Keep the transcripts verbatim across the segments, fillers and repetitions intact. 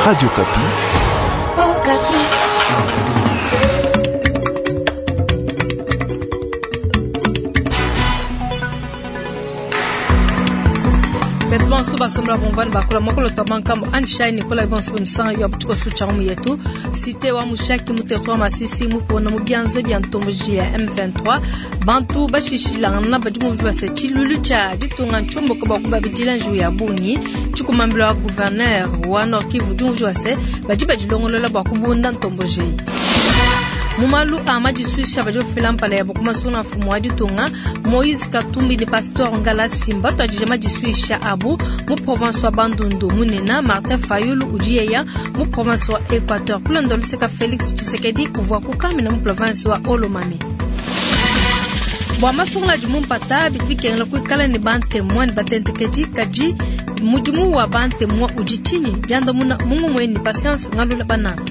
Radio Okapi. Oh, Okapi. Betu bonso basombola bomvani bakula mokolo twa bankambo anshai nikola bonso bemisanga ya butiko sucha mu yetu cité wa mushaki mu territoire Masisi mu pona mu byanze bya ntomboji ya M vingt-trois bantu bashishilangana badi mu base chilulu cha ditunga nchombo ko bakuba bidila nju ya bungi chikumambila wa gouverneur wa Nord Kivu dunju wase badi badilongolola bwa kubunda ntomboji Mumalu amajiswisha bajofila mpala ya bokuma suna mfumo wa ditunga Moïse Katumbi ni pasteur Ngala Simba twajije majiswisha abu mu province wa Bandundu munena Martin Fayulu ujiyeya mu province wa Equateur kulando luseka Félix Tshisekedi uvwa kukamina mu province wa Olomami. Bwa masungula di mumpata bidibikengela kuikala ne bantemwa ne batentekedi kadi mudimu wa bantemwa udi tshinyi diandamuna mungumwe ni patience ngalula bananga.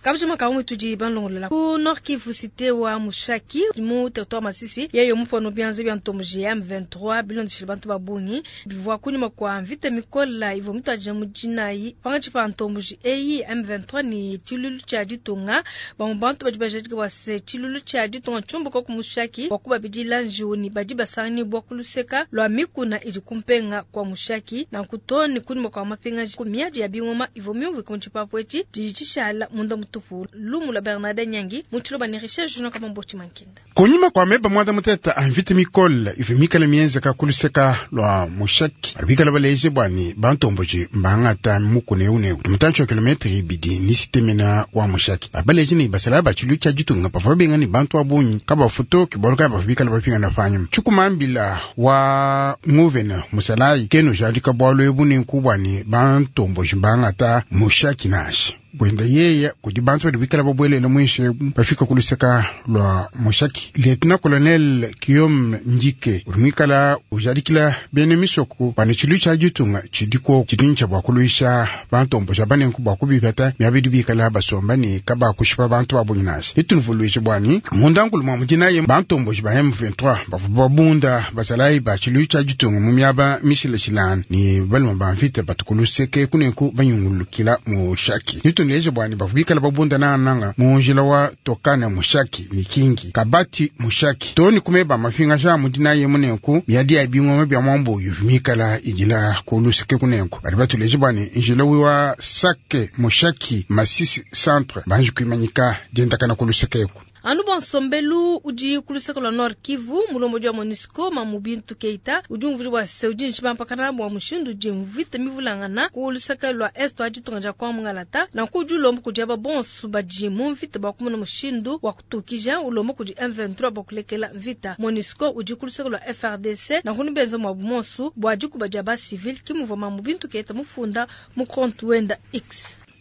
Kabujuma kaumwe tudi banlongolela ku Nord Kivu cité wa Mushaki mu territoire Masisi yeyo mufano byanze bya ntomboji ya M vingt-trois bilondeshile bantu babungi bivwa kunyuma kwa mvita mikola ivo mutaje mujinayi pangachi pa ntomboji eyi M vingt-trois ni chilulu cha ditunga bamu bantu badi bajadika bwase chilulu cha ditunga chombo ko ku Mushaki wakuba bidila njiuni badi basangani bwa kuluseka lwa mikuna idi kumpenga kwa Mushaki na kutoni kunyuma kwa mapinga ku miaji ya bingoma ivo myumvi kunchipapo echi dichishala munda tupu lumu la Bernard Nyangi mutulo ba ni recherche jono kama mboti mankinda kunyuma kwa meba mwanda muteta anvite mikol ife mikala mienza ka kuluseka lwa Mushaki arbikala baleje bwani bantomboji mbangata mukune une mutancho kilometri ibidi ni sitemena wa Mushaki abaleje ni basala bachilu cha jitunga pava benga ni bantu abunyi kaba futo kiboloka bafika bafika na fanya chukumambila wa nguvena musalai keno jadika bwalo ebune nkubwani bantomboji mbangata Mushaki nashi bwenda yeya kudi bantu badi bikala babwelela mwishe bafika kuluseka lwa Mushaki. Lieutenant Colonel Guillaume Ndike ulimwikala ujadikila bene misoko bana chilu cha jitunga chidiko chidincha bwa kuluisha bantombo banenku bwa kubipata myabidi bikala basomba ni kaba kushipa bantu babunginasi litunvuluishe bwani mundankulu mwa mujinaye bantombo ba M vingt-trois bavu babunda basalai ba chilu cha jitunga mu myaba mishilashilana ni balima bamvita batukuluseke kunenku banyungulukila Mushaki. Litunleje bwani bavubikala babunda na nanga munjila wa tokana Mushaki ni kingi kabati Mushaki toni kumeba mafinga sha mudina ye munenku miadi ya bingoma bya mwambo yuvimikala ijila kuluseke kunenku bali batuleje bwani njila wa Sake Mushaki Masisi centre banji kuimanyika dendakana kulusekeku. Anu bonsombelu udi kuluseka lwa Nord Kivu mulombo wa MONUSCO Mamubintu Keita udi umvuli wa se udi nchibampakana bwa mushindu udi mvita mivulangana kuluseka lwa est wa ditunga dia kwa mungalata na ku ulombo kudi aba bonso badi mu mvita bwa kumuna mushindu wa kutukija ulombo kudi M vingt-trois bwa kulekela mvita MONUSCO udi kuluseka lwa F R D C na kunibenza mwa bumonsu bwa dikuba dia ba civil kimuvua Mamubintu Keita mufunda mu compte wenda X.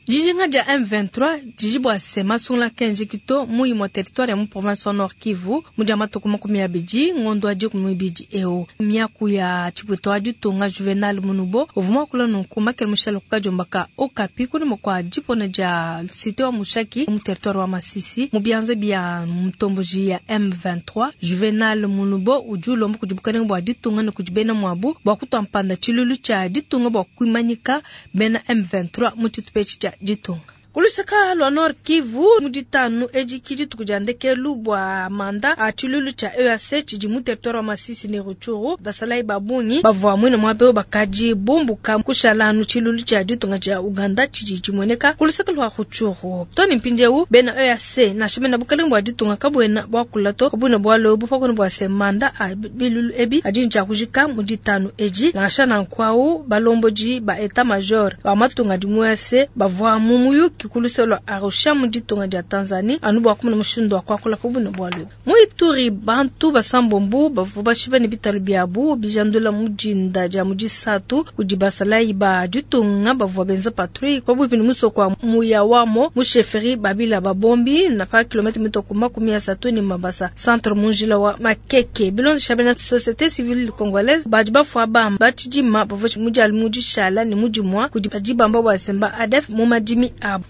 Dijinga dia M vingt-trois dijibwa se masungula kenji kito muyi mwa territoire ya mu province wa Nord Kivu mudia matuku makumi abidi ngondo adi kumibidi eo miaku ya chiputo adi tunga Juvenal Munubo uvuma kula nunku makele mushalo kukajombaka Okapi kuni mokwa jipona dia cité wa Mushaki mu territoire wa Masisi mu byanze bya mtomboji ya M vingt-trois Juvenal Munubo ujulo mbu kujibukana bwa ditunga ne kujibena mwabu bwa kutwampanda chilulu cha ditunga bwa kuimanyika bena M vingt-trois mu chitupechi cha ditunga. Kuluseka lwa Nord Kivu muditanu eji kidi tukujandeke bwa manda a chilulu cha E A C chidi mu territoire wa Masisi ne Rutshuru basalai babungi bavwa mwina mwabeo bakaji bumbuka kushalanu chilulu cha ditunga cha Uganda chidi chimweneka kuluseka lwa Rutshuru toni mpindeu bena E A C na shimena bukalengo bwa ditunga kabwena bwa kulato kabwena bwa lobu pakona bwa se manda a bilulu ebi ajinja kujika muditanu eji na shana nkwau balomboji ba état major ba matunga di mu E A C bavwa mumuyuki kuluselo Arusha muditunga dia Tanzania anu bwa kumuna mushindu wa kwakula kubuna bwalwe. Mu Ituri bantu basambombu bavu bashiba ne bitalu byabu bijandula mujinda dia mujisatu kudi basalai ba ditunga bavua benza patrouille kwa bwipi ni musoko wa Muyawamo mu chefferie Babila Babombi na pa kilomètre mitoko makumi asatu ni Mabasa centre munjila wa Makeke bilonzi shabena société civile congolaise badi bafua bamba batidima bavua mujali mujishala ni mujimwa kudi badibamba bwa semba A D F mu madimi abo.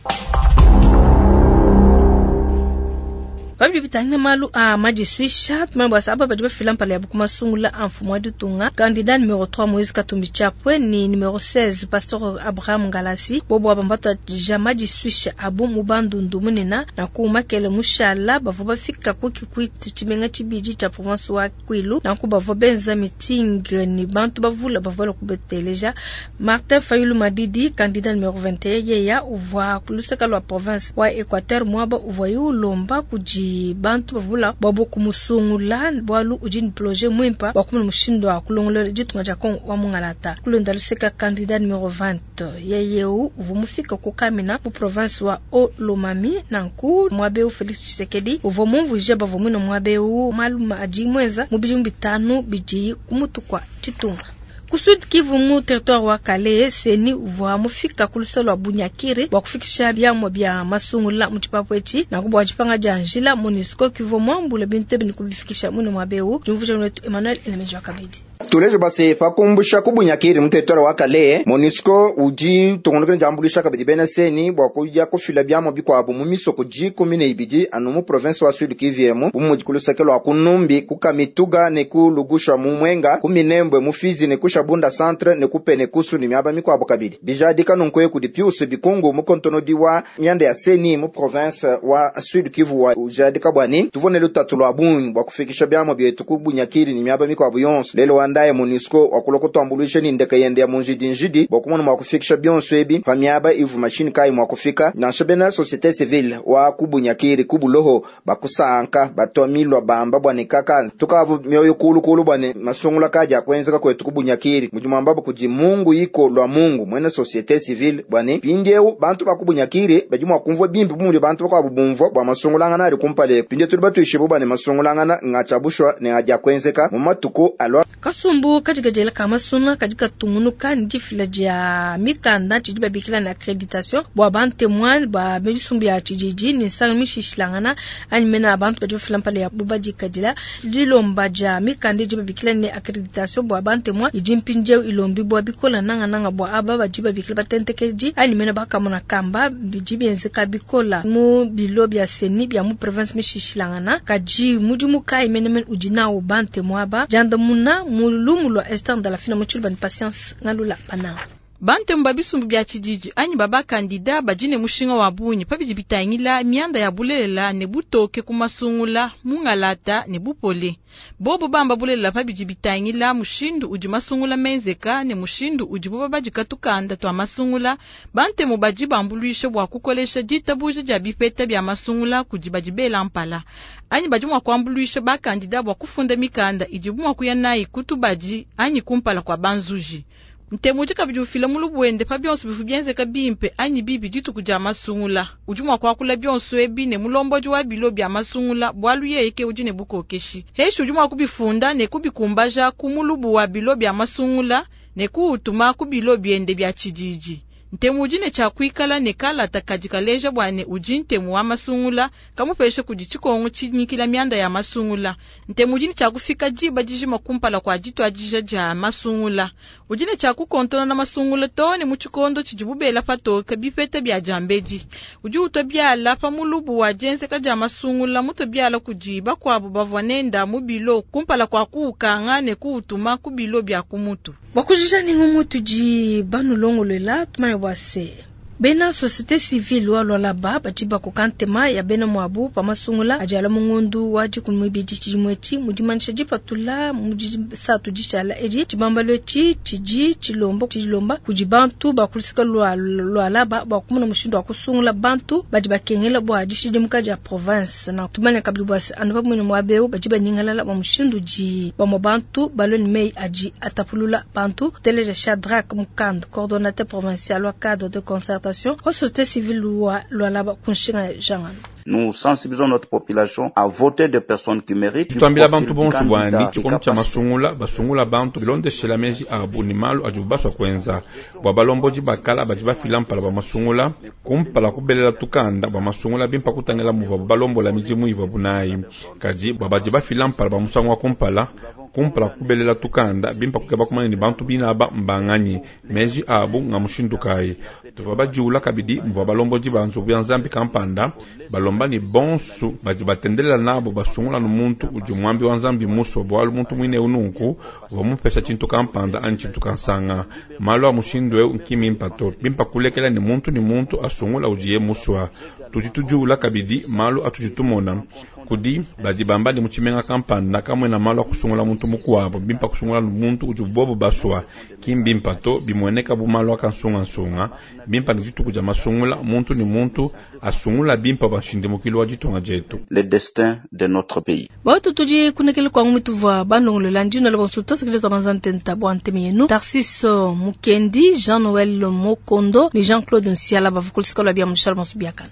Pabidi bitangila malu a madisuisha tumanye bua se aba badi bafila mpala yabu ku masungula a mfumu wa ditunga candidat numero trois Moïse Katumbi Chapwe ni numero seize Pasteur Abraham Ngalasi bobo aba mbatuadija madisuisha abu mu Bandundu munena na ku makele mushala bavua bafika ku Kikwit tshimenga tshibidi tshia province wa Kwilu nanku bavua benza meeting ni bantu bavula bavua balua kubeteleja. Martin Fayulu Madidi candidat numero vingt et un yeya uvua ku luseke lua province wa Equateur muaba uvua ulomba kudi bantu bavula bwabo kumusungula bwalu udi ni projet mwimpa bwa kumuna mushindu wa kulongolola ditunga dia Kongo wa mungalata. Kulonda luseka candidat numero vingt yeyeu uvua mufika ku Kamina mu province wa Haut-Lomami nanku mwabeu Felix Tshisekedi uvua mumvuije bavua mwina mwabeu malu adi mwenza mu bidimu bitanu bidi kumutu kwa ditunga. Ku Sud Kivu mu territoire wa Kalehe CENI uvua mufika ku luseke lua Bunyakiri bua kufikisha biamua bia masungula mu tshipapu etshi nanku bua dipanga dia njila MONUSCO kivua muambule bintu ebi ne kubifikisha muine muaba eu. Diumvuija wetu Emmanuel Elemeji wa Kabedi. Tuleje base pakumbusha ku Bunyakiri mu territoire wa Kalehe MONUSCO udi tungunuka ne diambuluisha kabidi bena CENI bua kuya kufila biamua bikuabu mu misoko dikumi ne ibidi anu mu province wa Sud Kivu emu bu mudi ku luseke lua ku Numbi ku Kamituga ne ku Lugushwa mu Mwenga ku Minembwe mu Fizi ne ku Shabunda centre ne ku Penekusu ne miaba mikuabu kabidi bijadika nunku kudi Pius Bikungu mu kontonodi wa mianda ya CENI mu province wa Sud Kivu wa ujadika bwani tuvone lutatu lua bungi bua kufikisha biamua bietu ku Bunyakiri ne miaba mikuabu yonso lelo wandaye MONUSCO wakulua kutuambuluisha ni ndeke yende ya munjidi njidi bua kumona mua kufikisha bionso ebi pa miaba ivu mashini kayi mua kufika nansha bena société civile wa ku Bunyakiri ku Buloho bakusanka batwamilwa bamba bwane kaka tukavu mioyo kulukulu bwane masungula kaja kwenzeka kwetu ku Bunyakiri mujimwambabo kudi Mungu iko lwa Mungu mwene société civile bwane pindieu bantu ba ku Bunyakiri badi mua kumvua bimpe bumudi bantu bakwabu bumvua bua masungulangana ali kumpale pindie tuli batuishibu bwane masungulangana ngachabushwa ne aja kwenzeka mu matuku alwa. Kasumbu katika jela kama suna katika tungunuka ni difila dia mikanda tshidi babikila na accreditation bua bantu ba bisumbu ya tshididi ni sanga mishishilangana anyi mena abantu badi bafila mpala ya bubadikadila dilomba dia mikanda idi babikila ne accreditation bua bantu idi mpindieu ilombi bua bikola nanga nanga bua aba badi babikila batentekedi anyi mena bakamona kamba bidi bienzeka bikola mu bilo bia CENI bia mu province mishishilangana kadi mudimu kai menemen udi nawo bantu aba jandamuna mu lumu lwa Esther Ndalafina mu tshiluba ni Patience Ngalula Pananga. Bantemu ba bisumbu bia tshididi anyi baba kandida badi ne mushinga wa bungi pabidi bitangila mianda ya bulelela ne butoke ku masungula mungalata ne bupole. Bobo bamba bulelela pabidi bitangila mushindu udi masungula menzeka ne mushindu udi bobo badika tukanda twa masungula. Bantemu badi bambuluisha bua kukolesha ditabuja dia bipeta bia masungula kudi badi bela mpala. Anyi badi mua kuambuluisha ba kandida bua kufunda mikanda idibu mua kuya nayi kutubadi anyi kumpala kwa banzuji. Ntemu udi kabidi ufila mulubu wende pa bionso bivu bienzeka bimpe anyi bibi dituku dia masungula. Udi mua kuakula bionso ebi ne mulombodi wa bilo bia masungula bualu yeye ke udi ne bukokeshi. Heshi udi mua kubifunda ne kubikumbaja ku mulubu wa bilo bia masungula ne kuutuma ku bilo biende bia tshididi. Ntemu udi ne tshia kuikala ne kalata kadi kaleja bua ne udi ntemu wa masungula kamupesha kudi tshikongo tshinyikila mianda ya masungula. Ntemu udi ne tshia kufika diba dijima kumpala kwa dituadija dia masungula. Udi ne tshia kukontona na masungula too ne mu tshikondo tshidibu bela patoke bipeta bia diambedi. Udi utua biala pa mulubu wa dienzeka dia masungula mutua biala kudi bakuabu bavua nenda mu bilo kumpala kwa kuukanga ne kuutuma ku bilo bia kumutu. Bakujija ningu mutu di banulongolela tumanye bua se bena société civile wa Lualaba badi bakoka ntema ya bena muabu pa masungula adi ala mungundu wa dikumi mibidi tshidimu etshi mu dimanyisha dipatula mu disatu dishala edi tshibambalu etshi tshidi tshilomba tshilomba kudi bantu ba ku luseke lua Lualaba bua kumona mushindu wa kusungula bantu badi bakengela bua dishidimuka dia province. Na tumanya kabidi bua se anu pamue ne muaba eu badi banyingalala bua mushindu udi bamue bantu balue ne meyi adi atapulula bantu. Teleja Shadrach Mukand, coordonnateur provincial wa cadre de concertation wa société civile wa Lualaba kunshinga jangano. Nous sensibilisons notre population à voter des personnes qui méritent. Tuambila bantu bonso bwani tshikondo tshia masungula basungula bantu bilondeshela meji abu ni malu adi baswa kuenza bua balombodi bakala badi bafila mpala ba masungula kumpala kubelela tukanda bua masungula bimpa kutangila muvua balombola midimu ivua bunayi kadi bua badi bafila mpala ba musangu wa kumpala kumpala kubelela tukanda bimpa kukeba kumanya ni bantu binaba mbanganyi meji abu nga mushindu kayi tuvua bajiula kabidi muvua balombodi ba nzubu ya nzambi kampanda balomba Balomba ne bonsu badi batendelela nabo basungula nu muntu udi muambi wa Nzambi musua, bualu muntu muine eu nunku uvua mupesha tshintu kampanda anyi tshintu kansanga. Malu a mushindu eu nki mimpa to, bimpa kulekela ne muntu ne muntu asungula udiye musua. Tudi tudiula kabidi malu atudi tumona kudi badi bamba ne mu tshimenga kampanda kamwena malu a kusungula muntu mukuabo, bimpa kusungula muntu udi bobo basua. Ki mbimpa to, bimueneka bu malu a kansungansunga. Bimpa ne dituku dia masungula muntu ne muntu asungula bimpa bua nshindimukilo wa ditunga dietu. Le destin de notre pays. Bautu tudi kunekele kwangu mituvua bandongolola ndino la bonso tosekele twa banzantenta bua nteme yenu Tarsis Mukendi, Jean-Noël Mokondo ni Jean-Claude Nsiala bavukulisika lwa bia mushala bonso biakana.